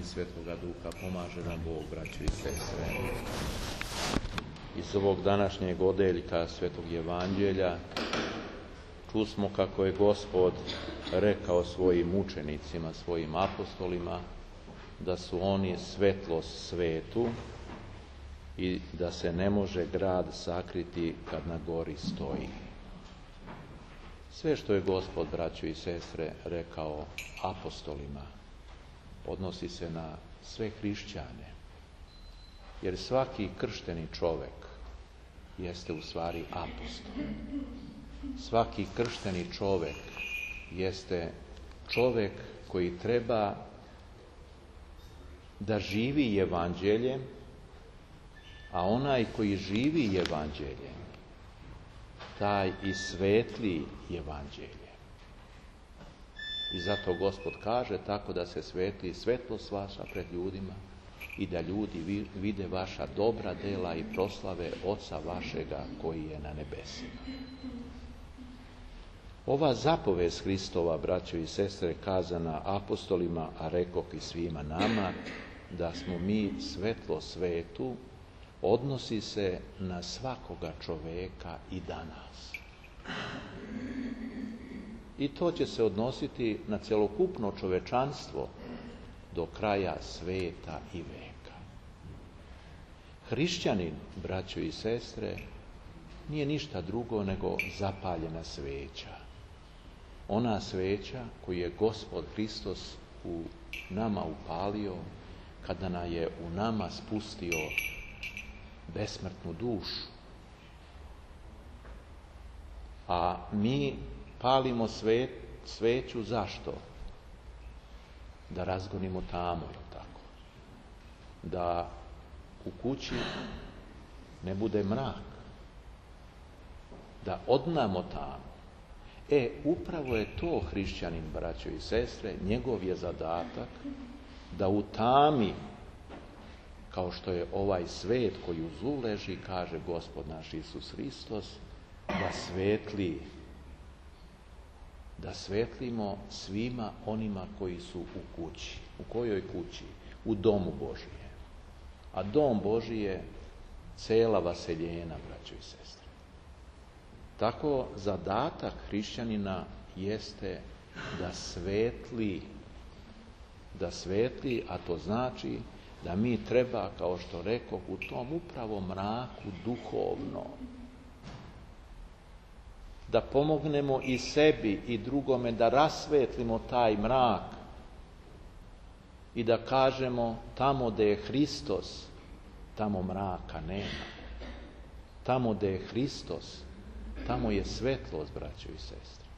Svetoga Duha pomaže nam Bog, braćo i sestre. Iz ovog današnjeg odeljka Svetog Evanđelja čusmo kako je Gospod rekao svojim učenicima, svojim apostolima, da su oni svetlost svetu i da se ne može grad sakriti kad na gori stoji. Sve što je Gospod, braćo i sestre, rekao apostolima, odnosi se na sve hrišćane. Jer svaki kršteni čovek jeste u stvari apostol. Svaki kršteni čovek jeste čovek koji treba da živi evanđeljem, a onaj koji živi evanđeljem, taj i svetli evanđelje. I zato Gospod kaže tako da se svetli svetlost vaša pred ljudima i da ljudi vide vaša dobra dela i proslave Oca vašega koji je na nebesima. Ova zapovest Hristova, braćo i sestre, kazana apostolima, a rekoh i svima nama, da smo mi svetlo svetu, odnosi se na svakoga čoveka i danas. I to će se odnositi na celokupno čovečanstvo do kraja sveta i veka. Hrišćanin, braćo i sestre, nije ništa drugo nego zapaljena sveća. Ona sveća koju je Gospod Hristos u nama upalio kada nam je u nama spustio besmrtnu dušu. A mi palimo sveću zašto? Da razgonimo tamu, tako. Da u kući ne bude mrak. Da odnamo tamu. Upravo je to hrišćanin, braćo i sestre, njegov je zadatak da u tami, kao što je ovaj svet koji u zlu leži, kaže Gospod naš Isus Hristos, da svetli, da svetlimo svima onima koji su u kući. U kojoj kući? U domu Božije. A dom Božiji je cela vaseljena, braćo i sestre. Tako zadatak hrišćanina jeste da svetli, a to znači da mi treba, kao što rekoh, u tom upravo mraku duhovno, da pomognemo i sebi i drugome da rasvetlimo taj mrak i da kažemo tamo gde je Hristos, tamo mraka nema. Tamo gde je Hristos, tamo je svetlost, braćo i sestre.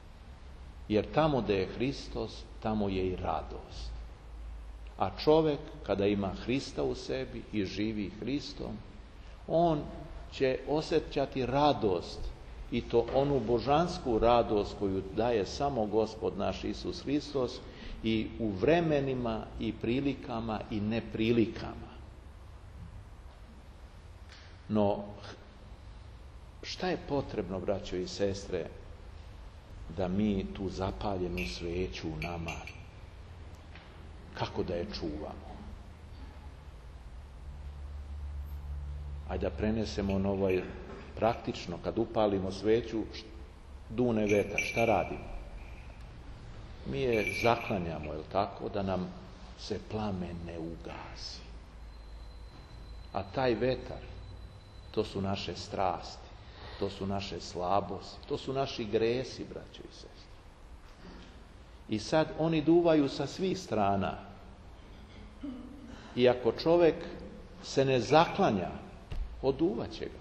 Jer tamo gde je Hristos, tamo je i radost. A čovek, kada ima Hrista u sebi i živi Hristom, on će osjećati radost, i to onu božansku radost koju daje samo Gospod naš Isus Hristos i u vremenima i prilikama i neprilikama. No, šta je potrebno, braćo i sestre, da mi tu zapaljenu sveću u nama, kako da je čuvamo? Ajde da prenesemo na ovaj praktično, kad upalimo sveću, dune vetar, šta radimo? Mi je zaklanjamo, jel tako, da nam se plamen ne ugasi. A taj vetar, to su naše strasti, to su naše slabosti, to su naši gresi, braćo i sestre. I sad oni duvaju sa svih strana. I ako čovek se ne zaklanja, oduvaće ga.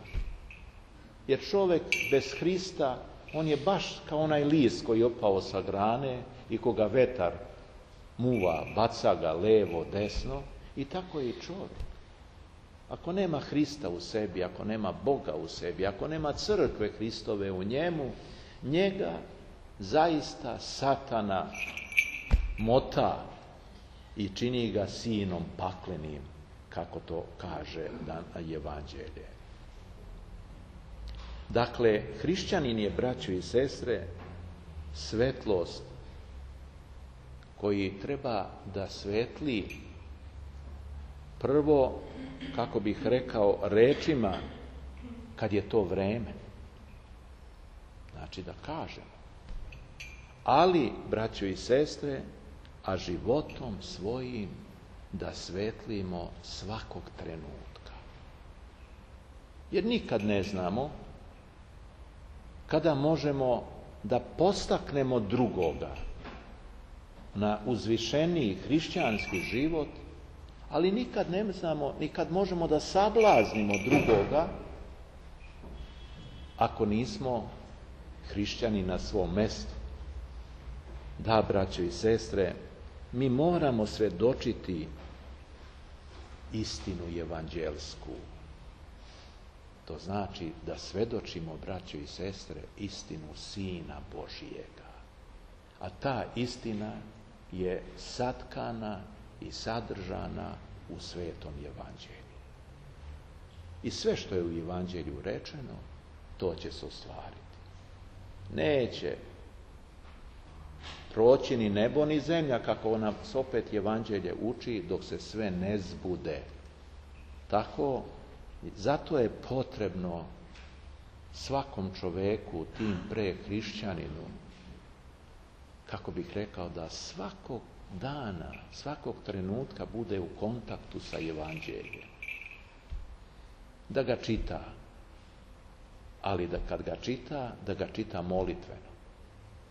Jer čovek bez Hrista, on je baš kao onaj list koji je opao sa grane i koga vetar muva, baca ga levo, desno, i tako je i čovjek. Ako nema Hrista u sebi, ako nema Boga u sebi, ako nema crkve Hristove u njemu, njega zaista Satana mota i čini ga sinom paklenim, kako to kaže Evanđelje. Dakle, hrišćanin je, braćo i sestre, svetlost koji treba da svetli Prvo, kako bih rekao, rečima kad je to vreme. Znači da kažemo. Ali, braćo i sestre, a životom svojim da svetlimo svakog trenutka. Jer nikad ne znamo kada možemo da postaknemo drugoga na uzvišeniji hrišćanski život, ali nikad ne znamo, nikad možemo da sablaznimo drugoga ako nismo hrišćani na svom mestu. Da, braćo i sestre, mi moramo svedočiti istinu evanđelsku. To znači da svedočimo, braćo i sestre, istinu Sina Božijega. A ta istina je satkana i sadržana u Svetom evanđelju. I sve što je u evanđelju rečeno, to će se ostvariti. Neće proći ni nebo ni zemlja, kako nas opet evanđelje uči, dok se sve ne zbude. Tako, zato je potrebno svakom čoveku, tim pre hrišćaninu, kako bih rekao, da svakog dana, svakog trenutka bude u kontaktu sa evanđeljem. Da ga čita, ali da kad ga čita, da ga čita molitveno.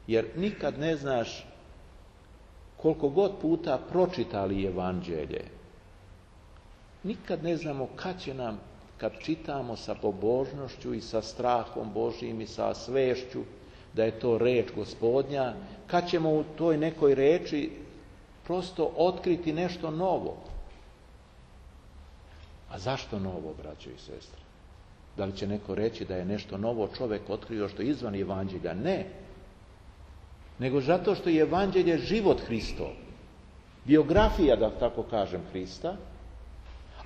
Jer nikad ne znaš koliko god puta pročitali evanđelje, nikad ne znamo kad će nam, kad čitamo sa pobožnošću i sa strahom Božijim i sa svešću da je to reč Gospodnja, kad ćemo u toj nekoj reči prosto otkriti nešto novo. A zašto novo, braćo i sestre? Da li će neko reći da je nešto novo čovjek otkrio što je izvan evanđelja? Ne. Nego zato što je evanđelje život Hristov. Biografija, da tako kažem, Hrista.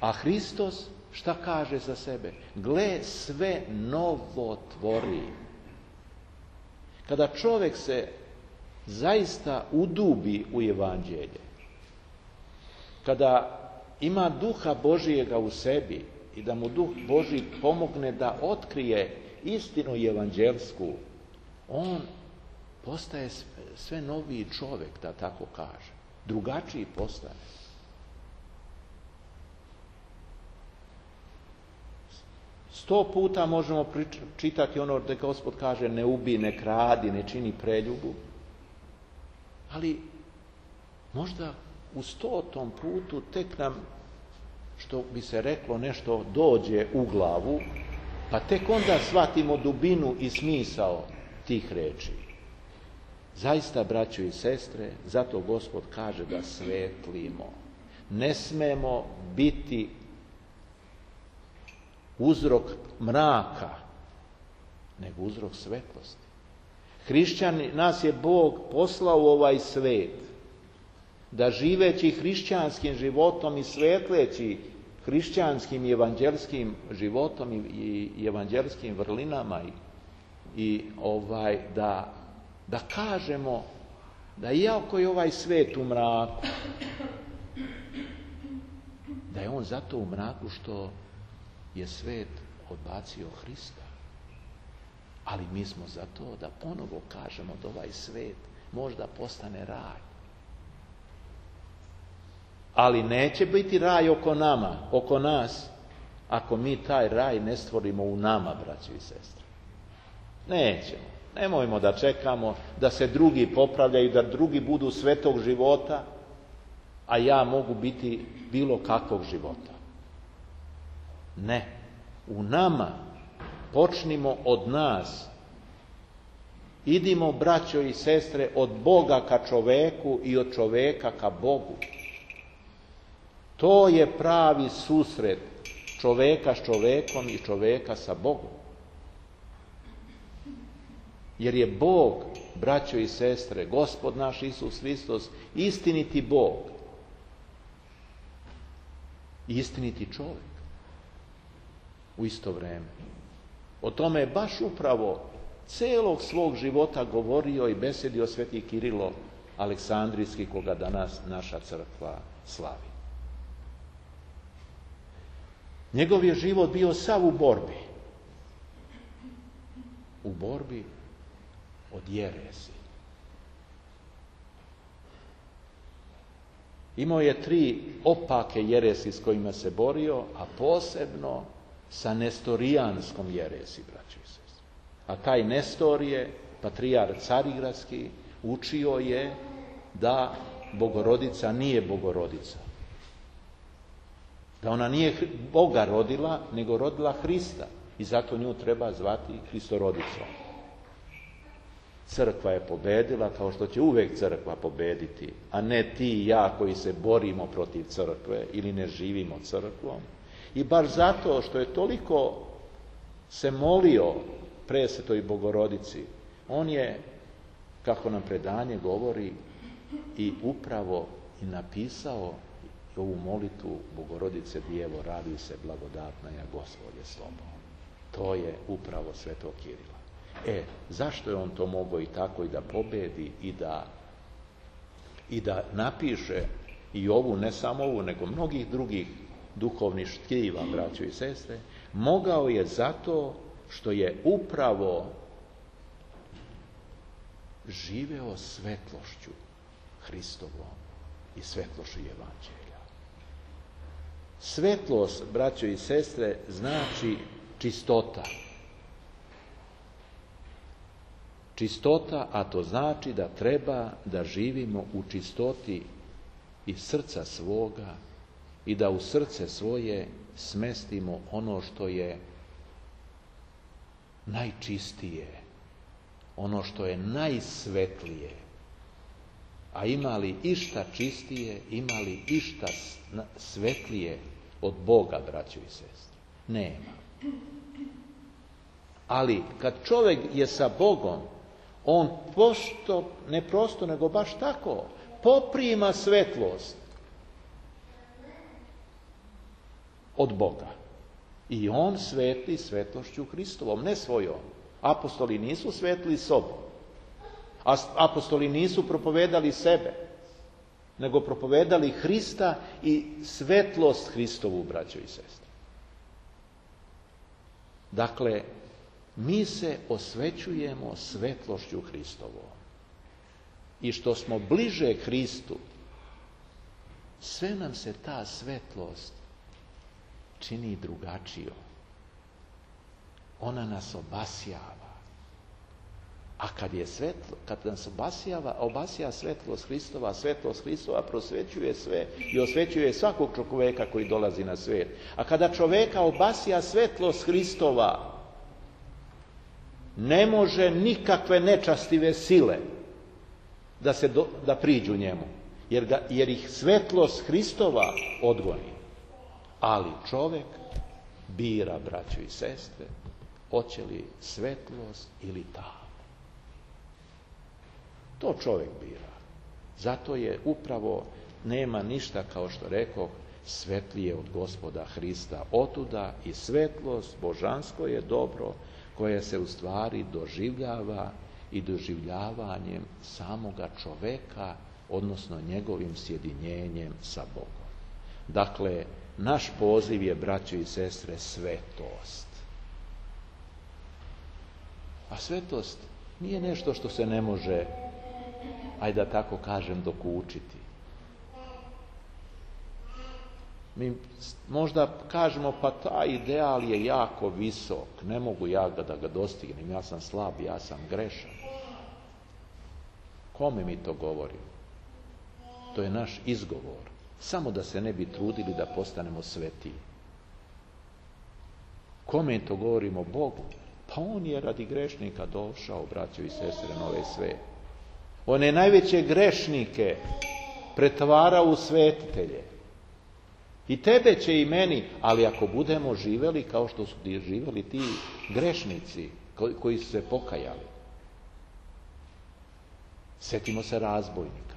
A Hristos šta kaže za sebe? Gle, sve novo tvori. Kada čovjek se zaista udubi u evanđelje, kada ima duha Božijega u sebi i da mu duh Božji pomogne da otkrije istinu evanđelsku, on postaje sve noviji čovjek, da tako kaže. Drugačiji postane. Sto puta možemo čitati ono da Gospod kaže ne ubij, ne kradi, ne čini preljubu. Ali možda u 100. putu tek nam, što bi se reklo, nešto dođe u glavu, pa tek onda shvatimo dubinu i smisao tih reči. Zaista, braćo i sestre, zato Gospod kaže da svetlimo. Ne smemo biti uzrok mraka, nego uzrok svetlosti. Hrišćani, nas je Bog poslao u ovaj svet da živeći hrišćanskim životom i svetleći hrišćanskim i evanđelskim životom i evanđelskim vrlinama da kažemo da iako je ovaj svet u mraku, da je on zato u mraku što je svet odbacio Hrista. Ali mi smo za to da ponovo kažemo da ovaj svet možda postane raj. Ali neće biti raj oko nas, ako mi taj raj ne stvorimo u nama, braći i sestre. Nećemo. Nemojmo da čekamo da se drugi popravljaju, da drugi budu svetog života, a ja mogu biti bilo kakvog života. Ne. U nama počnimo od nas. Idimo, braćo i sestre, od Boga ka čoveku i od čoveka ka Bogu. To je pravi susret čoveka s čovekom i čoveka sa Bogom. Jer je Bog, braćo i sestre, Gospod naš Isus Hristos, istiniti Bog. Istiniti čovjek. U isto vrijeme. O tome je baš upravo celog svog života govorio i besedio sveti Kirilo Aleksandrijski, koga danas naša crkva slavi. Njegov je život bio sav u borbi. U borbi od jeresi. Imao je 3 opake jeresi s kojima se borio, a posebno sa nestorijanskom jeresi, braćo i sestre. A taj Nestor je, patrijarh Carigradski, učio je da Bogorodica nije Bogorodica. Da ona nije Boga rodila, nego rodila Hrista. I zato nju treba zvati Hristorodicom. Crkva je pobedila, kao što će uvijek crkva pobediti, a ne ti i ja koji se borimo protiv crkve ili ne živimo crkvom. I baš zato što je toliko se molio presvetoj Bogorodici, on je, kako nam predanje govori, i upravo i napisao ovu molitvu Bogorodice Djevo, raduj se blagodatna ja Gospodje s tobom. To je upravo svetog Kirila. Zašto je on to mogao i tako i da pobedi i da napiše i ovu, ne samo ovu, nego mnogih drugih duhovnih štiva, braćo i sestre? Mogao je zato što je upravo živeo svetlošću Hristovom i svetlošću Evanđelja. Svetlost, braćo i sestre, znači čistota. Čistota, a to znači da treba da živimo u čistoti iz srca svoga i da u srce svoje smestimo ono što je najčistije, ono što je najsvetlije. A ima li išta čistije, ima li išta svetlije od Boga, braćo i sestre? Nema. Ali kad čovjek je sa Bogom, on ne prosto, nego baš tako, poprima svetlost od Boga. I on svetli svetlošću Hristovom, ne svojom. Apostoli nisu svetli sobom. Apostoli nisu propovedali sebe, nego propovedali Hrista i svetlost Hristovu, braćo i sestre. Dakle, mi se osvećujemo svetlošću Hristovom. I što smo bliže Hristu, sve nam se ta svetlost čini drugačijom. Ona nas obasjava. A kad nas obasja svetlost Hristova, a svetlost Hristova prosvećuje sve i osvećuje svakog čovjeka koji dolazi na svijet. A kada čovjeka obasja svetlost Hristova, ne može nikakve nečastive sile da priđu njemu, jer ih svetlost Hristova odgoni. Ali čovjek bira, braćo i sestre, hoće li svetlost ili tamu. To čovjek bira. Zato je upravo, nema ništa, kao što rekoh, svetlije od Gospoda Hrista. Otuda i svetlost, božansko je dobro, koje se u stvari doživljava i doživljavanjem samoga čoveka, odnosno njegovim sjedinjenjem sa Bogom. Dakle, naš poziv je, braćo i sestre, svetost. A svetost nije nešto što se ne može, ajde da tako kažem, dokučiti. Mi možda kažemo, pa taj ideal je jako visok, ne mogu ja da ga dostignem, ja sam slab, ja sam grešan. Kome mi to govorimo? To je naš izgovor, samo da se ne bi trudili da postanemo svetiji. Kome to govorimo? Bogu. Pa on je radi grešnika došao, braćo i sestre, na ovaj svet. On je najveće grešnike pretvarao u svetitelje. I tebe će i meni, ali ako budemo živjeli kao što su živjeli ti grešnici koji su se pokajali. Sjetimo se razbojnika.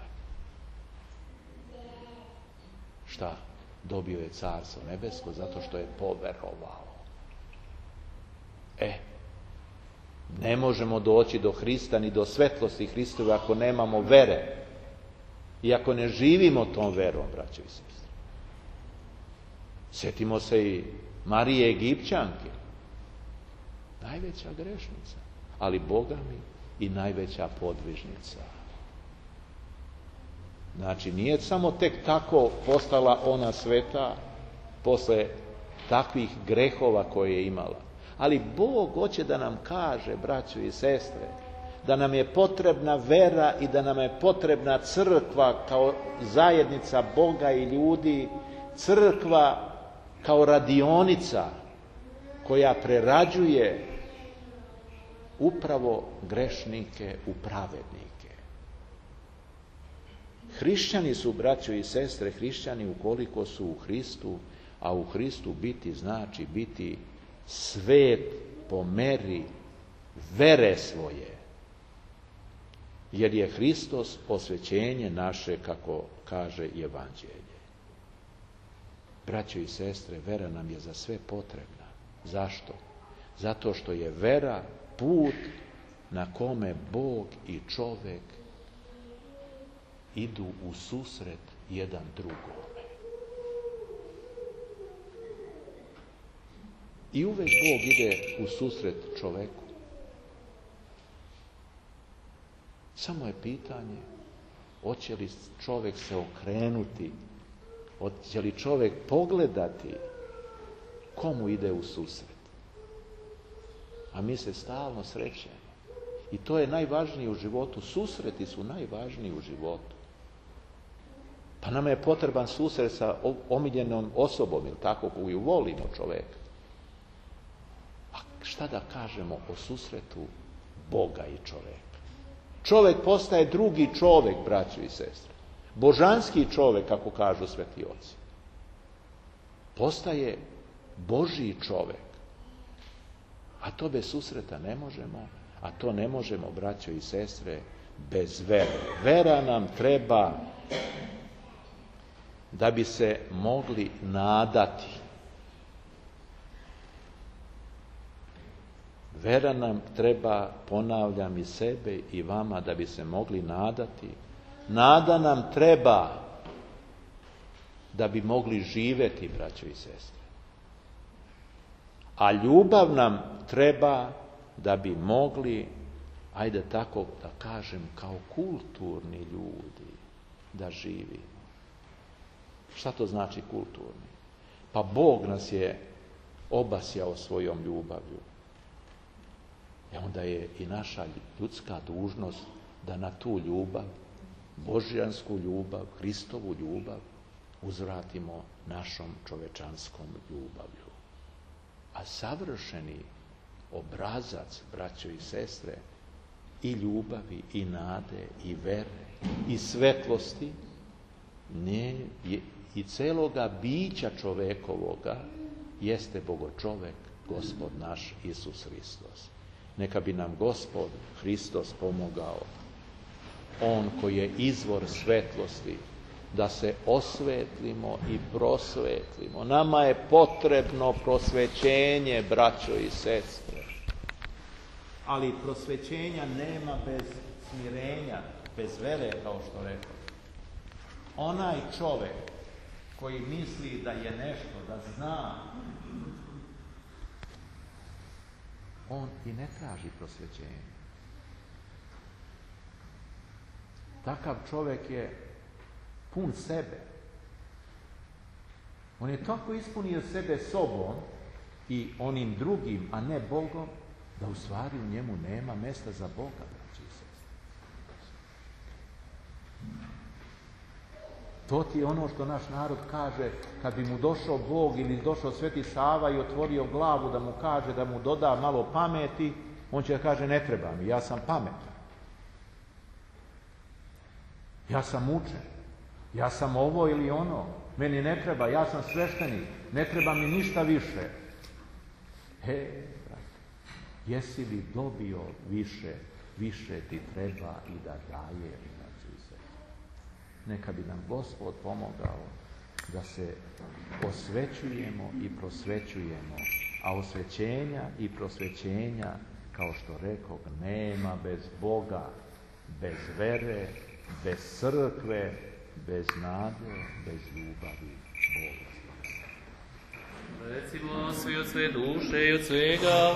Šta? Dobio je carstvo nebesko zato što je poverovao. Ne možemo doći do Hrista ni do svetlosti Hristove ako nemamo vere i ako ne živimo tom verom, braćo i sestre. Sjetimo se i Marije Egipćanke, najveća grešnica, ali Boga mi i najveća podvižnica. Znači, nije samo tek tako postala ona sveta posle takvih grehova koje je imala. Ali Bog hoće da nam kaže, braćo i sestre, da nam je potrebna vera i da nam je potrebna crkva kao zajednica Boga i ljudi, crkva kao radionica koja prerađuje upravo grešnike u pravednike. Hrišćani su, braćo i sestre, hrišćani ukoliko su u Hristu, a u Hristu biti znači biti svet po meri vere svoje. Jer je Hristos osvećenje naše, kako kaže Evanđelje. Braćo i sestre, vera nam je za sve potrebna. Zašto? Zato što je vera put na kome Bog i čovek idu u susret jedan drugome. I uvek Bog ide u susret čoveku. Samo je pitanje, hoće li čovek se okrenuti, hoće li čovek pogledati komu ide u susret. A mi se stalno srećemo. I to je najvažnije u životu. Susreti su najvažniji u životu. Pa nama je potreban susret sa omiljenom osobom, ili tako, koju volimo čoveka. A šta da kažemo o susretu Boga i čoveka? Čovek postaje drugi čovek, braćo i sestre. Božanski čovek, kako kažu sveti oci. Postaje Božji čovek. A to bez susreta ne možemo, a to ne možemo, braćo i sestre, bez vere. Vera nam treba da bi se mogli nadati. Vera nam treba, ponavljam, i sebe i vama, da bi se mogli nadati. Nada nam treba da bi mogli živeti, braćo i sestre. A ljubav nam treba da bi mogli, ajde tako da kažem, kao kulturni ljudi da živimo. Šta to znači kulturni? Pa Bog nas je obasjao svojom ljubavlju. I onda je i naša ljudska dužnost da na tu ljubav, božjansku ljubav, Hristovu ljubav, uzvratimo našom čovečanskom ljubavlju. A savršeni obrazac, braćo i sestre, i ljubavi, i nade, i vere, i svetlosti, i celoga bića čovekovoga, jeste Bogočovek, Gospod naš Isus Hristos. Neka bi nam Gospod Hristos pomogao, On koji je izvor svetlosti, da se osvetlimo i prosvetlimo. Nama je potrebno prosvećenje, braćo i sestre. Ali prosvećenja nema bez smirenja, bez vere, kao što rekao. Onaj čovek koji misli da je nešto, da zna, on i ne traži prosvećenje. Takav čovek je pun sebe. On je tako ispunio sebe sobom i onim drugim, a ne Bogom, da u stvari u njemu nema mesta za Boga, braći i sestre. To ti je ono što naš narod kaže, kad bi mu došao Bog ili došao Sveti Sava i otvorio glavu da mu kaže, da mu doda malo pameti, on će da kaže, ne treba mi, ja sam pametan. Ja sam učen. Ja sam ovo ili ono. Meni ne treba, ja sam sveštenik. Ne treba mi ništa više. Brate, jesi li dobio više, više ti treba i da daje. Neka bi nam Gospod pomogao da se osvećujemo i prosvećujemo, a osvećenja i prosvećenja, kao što rekao, nema bez Boga, bez vere, bez crkve, bez nade, bez ljubavi Boga. Milostivost i od sve duše i od svega